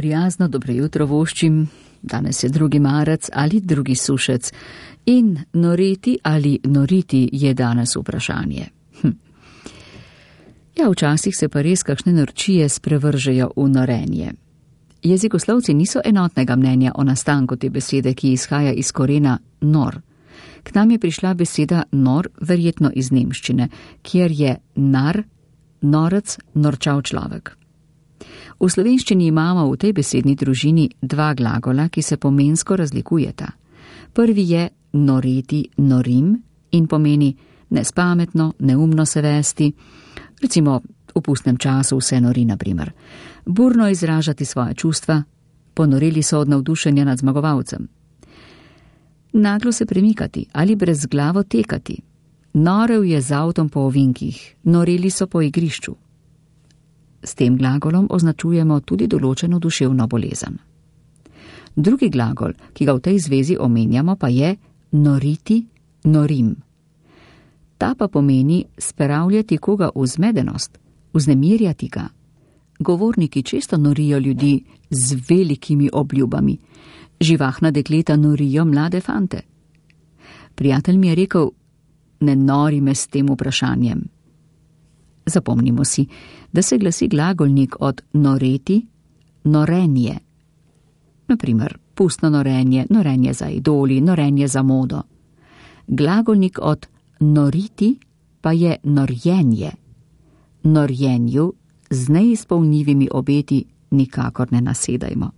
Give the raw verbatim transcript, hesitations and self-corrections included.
Prijazno dobro jutro voščim, danes je drugi marec ali drugi sušec in noreti ali noriti je danes vprašanje. Hm. Ja, včasih se pa res kakšne norčije sprevržejo v norenje. Jezikoslovci niso enotnega mnenja o nastanku te besede, ki izhaja iz korena nor. K nam je prišla beseda nor, verjetno iz nemščine, kjer je nar, norec, norčav človek. V slovenščini imamo v tej besedni družini dva glagola, ki se pomensko razlikujeta. Prvi je noreti, norim in pomeni nespametno, neumno se vesti, recimo v pustnem času vse nori, na primer. Burno izražati svoje čustva, ponorili so od navdušenja nad zmagovalcem. Naglo se premikati ali brezglavo tekati. Norel je z avtom po ovinkih, noreli so po igrišču. S tem glagolom označujemo tudi določeno duševno bolezen. Drugi glagol, ki ga v tej zvezi omenjamo, pa je noriti, norim. Ta pa pomeni spravljati koga v zmedenost, vznemirjati ga. Govorniki često norijo ljudi z velikimi obljubami. Živahna dekleta norijo mlade fante. Prijatelj mi je rekel, ne nori me s tem vprašanjem. Zapomnimo si, da se glasi glagolnik od noreti, norenje. Naprimer, pustno norenje, norenje za idoli, norenje za modo. Glagolnik od noriti pa je norjenje. Norjenju z neizpolnjivimi obeti nikakor ne nasedajmo.